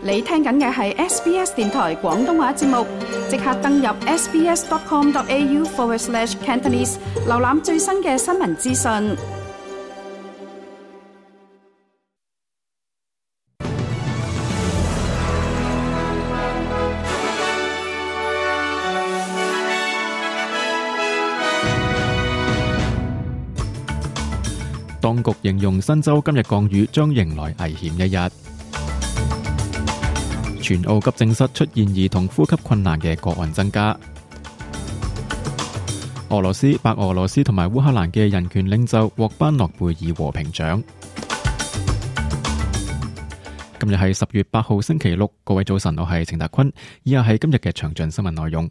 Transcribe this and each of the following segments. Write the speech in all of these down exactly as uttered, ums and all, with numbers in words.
你聽緊嘅係 S B S 電台廣東話節目，即刻登入 sbs.com.au forward slash Cantonese， 瀏覽最新嘅新聞資訊。當局形容新州今日降雨將迎來危險一日。全澳急症室出現兒童呼吸困難嘅個案增加。俄羅斯、白俄羅斯同埋烏克蘭嘅人權領袖獲頒諾貝爾和平獎。今日係十月八號星期六，各位早晨，我係程達坤，以下係今日嘅詳盡新聞內容。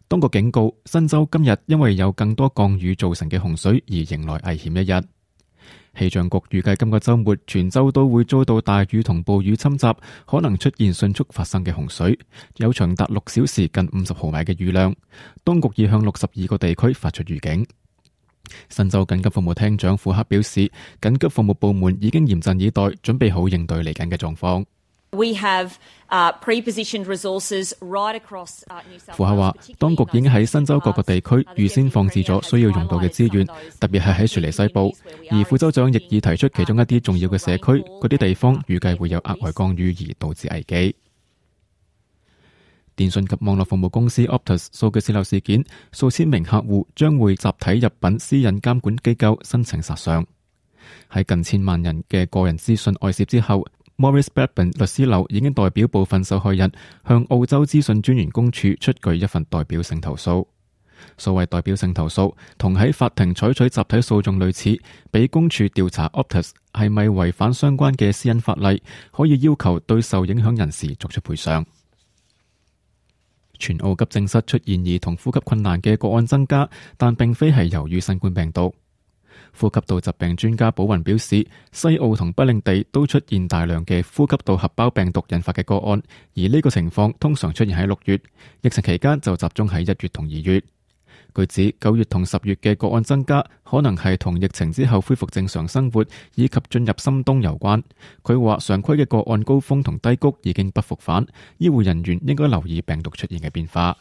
當局警告，新州今日因為有更多降雨造成嘅洪水而迎來危險一日。氣象局預計今個週末全州都會遭到大雨同暴雨侵襲，可能出現迅速發生嘅洪水，有長達六小時近五十毫米嘅雨量。當局已向六十二個地區發出預警。新州緊急服務廳長庫克表示，緊急服務部門已經嚴陣以待，準備好應對嚟緊嘅狀況。We have, uh, pre-positioned resources right across, uh, New South Wales. 庫克話，當局已經喺新州各個地區預先放置咗需要用到嘅資源，特別係喺雪梨西部。而副州長亦已提出其中一啲重要嘅社區，嗰啲地方預計會有額外降雨而導致危機。電信及網絡服務公司 Optus 數據洩漏事件，數千名客戶將會集體入稟私隱監管機構申請索償。喺近千萬人嘅個人資訊外泄之後，Maurice Blackburn 律師樓已經代表部分受害人向澳洲資訊專員公署出具一份代表性投訴。所謂代表性投訴，同喺法庭採取集體訴訟類似，俾公署調查 Optus 係咪違反相關嘅私隱法例，可以要求對受影響人士作出賠償。全澳急症室出現兒童呼吸困難嘅個案增加，但並非係由於新冠病毒。呼吸道疾病專家保雲表示，西澳同北領地都出現大量嘅呼吸道合胞病毒引發嘅個案，而呢個情況通常出現喺六月，疫情期間就集中喺一月同二月。據指九月同十月嘅個案增加，可能係同疫情之後恢復正常生活以及進入深冬有關。佢話常規嘅個案高峰同低谷已經不復返，醫護人員應該留意病毒出現嘅變化。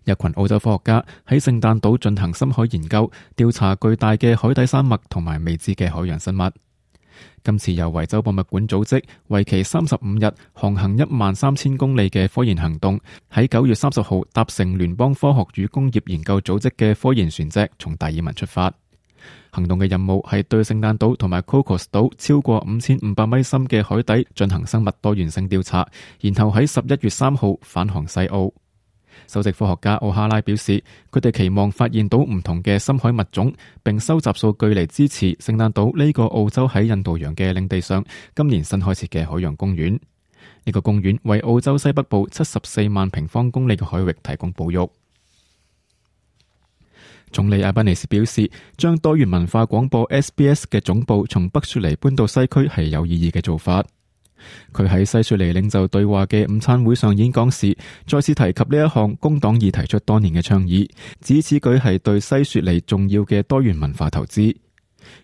一群澳洲科學家喺聖誕島進行深海研究，調查巨大嘅海底山脈同埋未知嘅海洋生物。今次由維州博物館組織，為期三十五日、航行一萬三千公里嘅科研行動，喺九月三十號搭乘聯邦科學與工業研究組織嘅科研船隻從達爾文出發。行動嘅任務係對聖誕島同埋 Cocos 島超過五千五百米深嘅海底進行生物多元性調查，然後喺十一月三號返航西澳。首席科學家奧哈拉表示，佢哋期望發現到唔同嘅深海物種，並收集數據嚟支持聖誕島呢個澳洲喺印度洋嘅領地上今年新開設嘅海洋公園。呢個公園為澳洲西北部七十四萬平方公里嘅海域提供保育。總理阿賓尼斯表示，將多元文化廣播 S B S 嘅總部從北雪梨搬到西區係有意義嘅做法。佢喺西雪梨領袖對話嘅午餐會上演講時，再次提及呢一項工黨已提出多年嘅倡議，指此舉係對西雪梨重要嘅多元文化投資。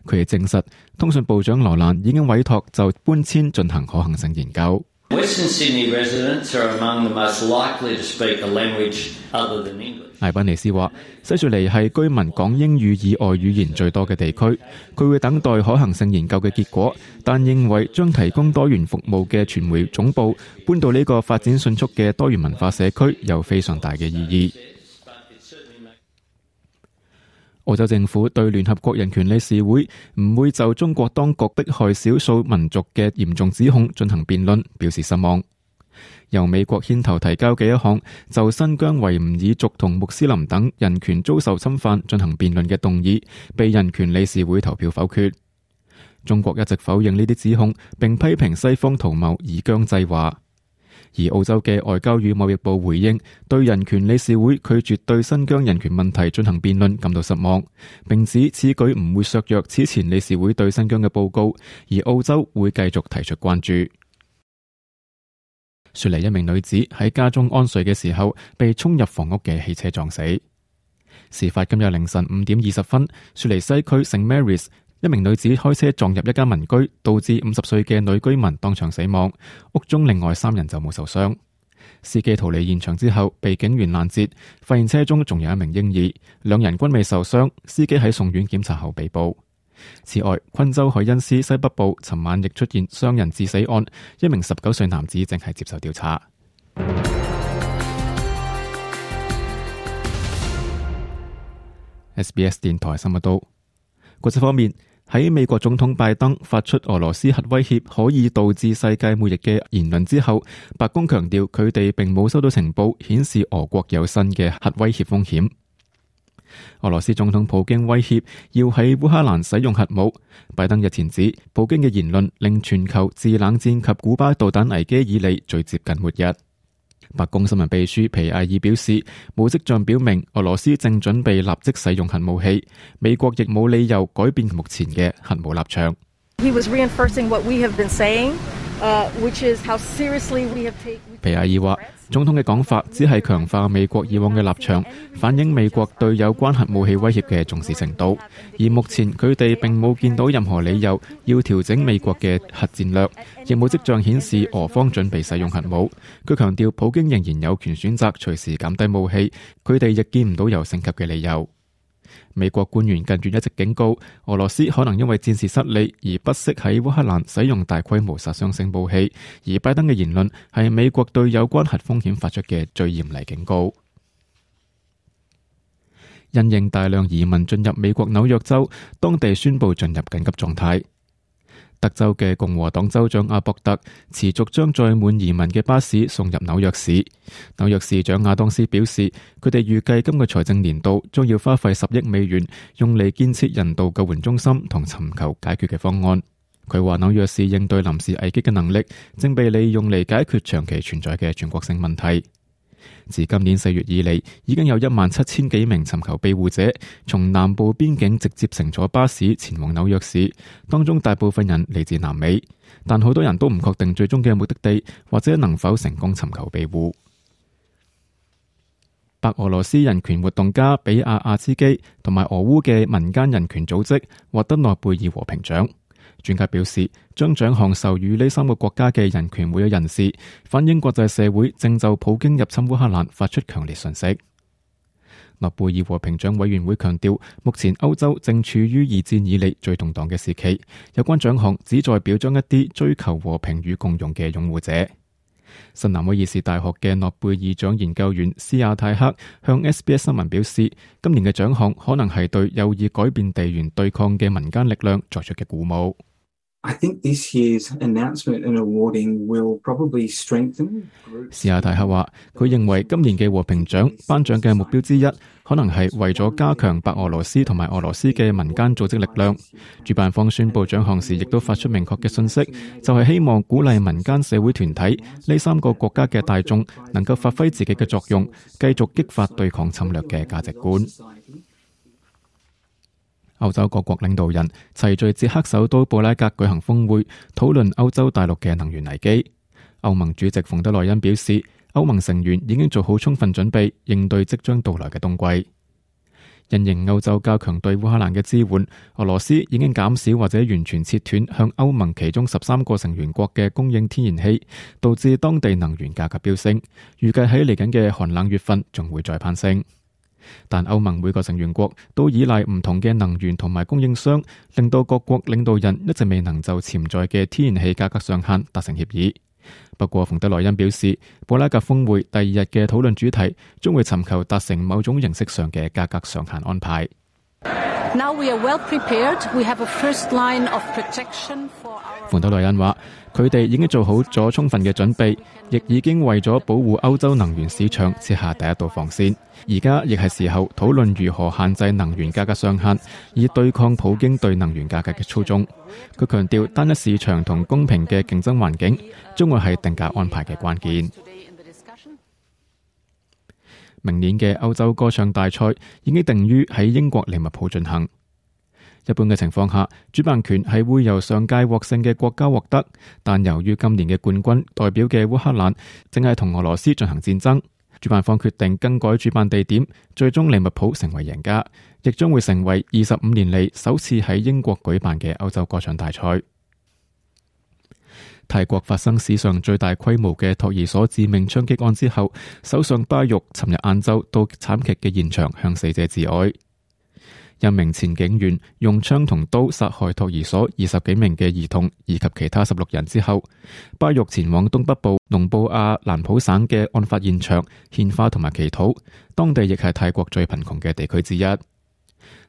佢亦證實，通訊部長羅蘭已經委託就搬遷進行可行性研究。Western Sydney residents are among the most likely to speak a language other than English. 艾賓尼斯話，西雪梨係居民講英語以外語言最多嘅地區，佢會等待可行性研究嘅結果，但認為將提供多元服務嘅傳媒總部搬到呢個發展迅速嘅多元文化社區有非常大嘅意義。澳洲政府對聯合國人權理事會唔會就中國當局迫害少數民族嘅嚴重指控進行辯論表示失望。由美國牽頭提交嘅一項就新疆維吾爾族同穆斯林等人權遭受侵犯進行辯論嘅動議，被人權理事會投票否決。中國一直否認呢啲指控，並批評西方圖謀以疆制華。而澳洲嘅外交與貿易部回應，對人權理事會拒絕對新疆人權問題進行辯論感到失望，並指此舉唔會削弱此前理事會對新疆嘅報告，而澳洲會繼續提出關注。雪梨一名女子喺家中安睡嘅時候，被衝入房屋嘅汽車撞死。事發今日凌晨五點二十分，雪梨西區聖 Mary's 一名女子開車撞入一間民居，導致五十歲嘅女居民當場死亡，屋中另外三人就冇受傷。司機逃離現場之後，被警員攔截，發現車中仲有一名嬰兒，兩人均未受傷。司機喺送院檢查後被捕。此外，昆州海恩斯西北部尋晚亦出現傷人致死案，一名十九歲男子正係接受調查。S B S 電台新聞報道。國際方面，喺美國總統拜登發出俄羅斯核威脅可以導致世界末日嘅言論之後，白宮強調佢哋並冇收到情報顯示俄國有新嘅核威脅風險。俄羅斯總統普京威脅要喺烏克蘭使用核武。拜登日前指，普京嘅言論令全球自冷戰及古巴導彈危機以嚟最接近末日。白宮新聞秘書皮埃爾表示，冇跡象表明俄羅斯正準備立即使用核武器，美國亦冇理由改變目前嘅核武立場。He was reinforcing what we have been saying, uh, which is how seriously we have taken. 皮埃爾話，總統嘅講法只係強化美國以往嘅立場，反映美國對有關核武器威脅嘅重視程度。而目前佢哋並冇見到任何理由要調整美國嘅核戰略，亦冇跡象顯示俄方準備使用核武。佢強調，普京仍然有權選擇隨時減低武器，佢哋亦見唔到有升級嘅理由。美國官員近月一直警告，俄羅斯可能因為戰事失利而不惜喺烏克蘭使用大規模殺傷性武器，而拜登嘅言論係美國對有關核風險發出嘅最嚴厲警告。因應大量移民進入美國紐約州，當地宣布進入緊急狀態。德州嘅共和黨州長阿博特持續將載滿移民嘅巴士送入紐約市。紐約市長亞當斯表示，佢哋預計今個財政年度將要花費十億美元，用嚟建設人道救援中心同尋求解決嘅方案。佢話紐約市應對臨時危機嘅能力正被利用嚟解決長期存在嘅全國性問題。自今年四月以嚟，已經有一萬七千幾名尋求庇護者從南部邊境直接乘坐巴士前往紐約市，當中大部分人嚟自南美，但好多人都唔確定最終嘅目的地或者能否成功尋求庇護。白俄羅斯人權活動家比亞亞茲基同埋俄烏嘅民間人權組織獲得諾貝爾和平獎。專家表示，將獎項授予呢三個國家嘅人權會嘅人士，反映國際社會正就普京入侵烏克蘭發出強烈訊息。諾貝爾和平獎委員會強調，目前歐洲正處於二戰以嚟最動盪嘅時期，有關獎項旨在表彰一啲追求和平與共融嘅擁護者。新南威爾士大學嘅諾貝爾獎研究員斯亞泰克向 S B S 新聞表示，今年嘅獎項可能係對有意改變地緣對抗嘅民間力量作出嘅鼓舞。I think this year's announcement and awarding will probably strengthen. 史亞泰克話，佢認為今年嘅和平獎頒獎嘅目標之一，可能係為咗加強白俄羅斯同埋俄羅斯嘅民間組織力量。主辦方宣布獎項時，亦都發出明確嘅信息，就係希望鼓勵民間社會團體呢三個國家嘅大眾能夠發揮自己嘅作用，繼續激發對抗侵略嘅價值觀。歐洲各國領導人齊聚捷克首都布拉格舉行峰會，討論歐洲大陸嘅能源危機。歐盟主席馮德萊恩表示，歐盟成員已經做好充分準備，應對即將到來嘅冬季。因應歐洲加強對烏克蘭嘅支援，俄羅斯已經減少或者完全切斷向歐盟其中十三個成員國嘅供應天然氣，導致當地能源價格飆升。預計喺嚟緊嘅寒冷月份仲會再攀升。但歐盟每個成員國都依賴唔同嘅能源同埋供應商，令到各國領導人一直未能就潛在嘅天然氣價格上限達成協議。不過馮德萊恩表示，布拉格峰會第二日嘅討論主題將會尋求達成某種形式上嘅價格上限安排。Now we are well prepared. We have a first line of protection for our... 馮德萊恩話，佢哋已經做好咗充分嘅準備，亦已經為咗保護歐洲能源市場設下第一道防線。而家亦係時候討論如何限制能源價格上限，以對抗普京對能源價格嘅操縱。佢強調，單一市場同公平嘅競爭環境將會係定價安排嘅關鍵。明年嘅歐洲歌唱大賽已經定於喺英國利物浦進行。一般嘅情況下，主辦權係會由上屆獲勝嘅國家獲得，但由於今年嘅冠軍代表嘅烏克蘭正係同俄羅斯進行戰爭，主辦方決定更改主辦地點，最終利物浦成為贏家，亦將會成為二十五年嚟首次喺英國舉辦嘅歐洲歌唱大賽。泰國發生史上最大規模嘅托兒所致命槍擊案之後，首相巴育尋日晏晝到慘劇嘅現場向死者致哀。一名前警員用槍同刀殺害托兒所二十幾名嘅兒童以及其他十六人之後，巴育前往東北部農布亞蘭普省嘅案發現場獻花同埋祈禱，當地亦係泰國最貧窮嘅地區之一。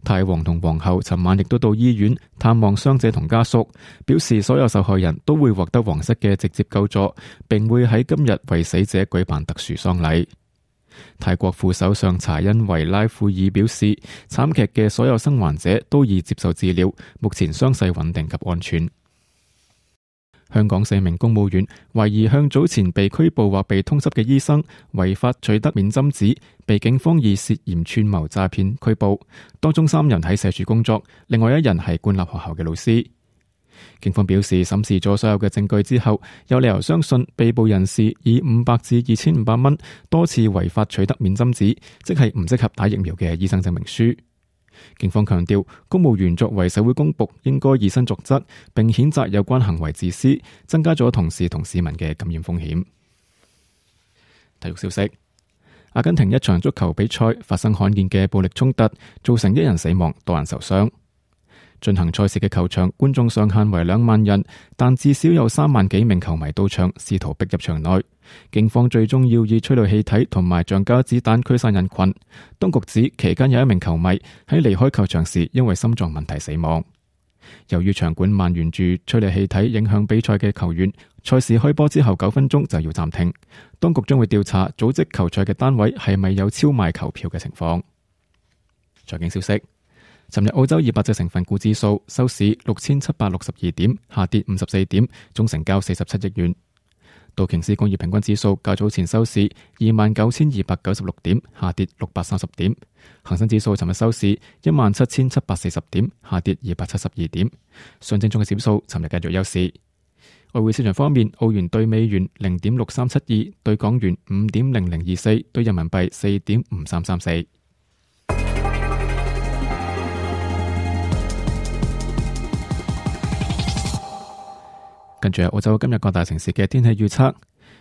泰王同皇后尋晚亦都到醫院探望傷者同家屬，表示所有受害人都會獲得皇室嘅直接救助，並會喺今日為死者舉辦特殊喪禮。泰國副首相查恩維拉庫爾表示，慘劇嘅所有生還者都已接受治療，目前傷勢穩定及安全。香港四名公務員懷疑向早前被拘捕或被通緝嘅醫生違法取得免針紙，被警方以涉嫌串謀詐騙拘捕。當中三人喺社署工作，另外一人係官立學校嘅老師。警方表示，審視咗所有嘅證據之後，有理由相信被捕人士以五百至二千五百蚊多次違法取得免針紙，即係唔適合打疫苗嘅醫生證明書。警方強調，公務員作為社會公僕，應該以身作則，並譴責有關行為自私，增加咗同事同市民嘅感染風險。體育消息：阿根廷一場足球比賽發生罕見嘅暴力衝突，造成一人死亡，多人受傷。進行賽事嘅球場觀眾上限為兩萬人，但至少有三萬幾名球迷到場，試圖逼入場內。警方最終要以催淚氣體同埋橡膠子彈驅散人群。當局指期間有一名球迷喺離開球場時因為心臟問題死亡。由於場館蔓延住催淚氣體影響比賽嘅球員，賽事開波之後九分鐘就要暫停。當局將會調查組織球賽嘅單位係咪有超賣球票嘅情況。財經消息：尋日澳洲二百隻成分股指數收市六千七百六十二點，下跌五十四點，總成交四十七億元。道瓊斯工業平均指數較早前收市二萬九千二百九十六點，下跌六百三十點。恒生指數尋日收市一萬七千七百四十點，下跌二百七十二點。上證綜合指數尋日繼續休市。外匯市場方面，澳元兌美元零點六三七二，兌港元五點零零二四，兌人民幣四點五三三四。跟住係澳洲今日各大城市嘅天氣預測：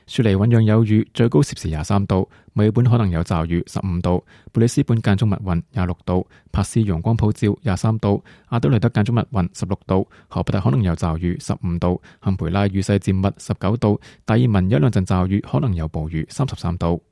雪梨醞釀有雨，最高攝氏廿三度；墨爾本可能有驟雨，十五度；布里斯本間中密雲，廿六度；珀斯陽光普照，廿三度；阿德萊德間中密雲，十六度；荷伯特可能有驟雨，十五度；坎培拉雨勢漸密，十九度；達爾文有兩陣驟雨，可能有暴雨，三十三度。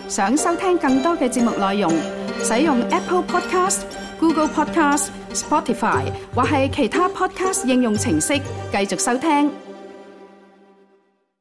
想收聽更多嘅節目內容，使用 Apple Podcast、Google Podcast、Spotify 或係其他 Podcast 應用程式繼續收聽。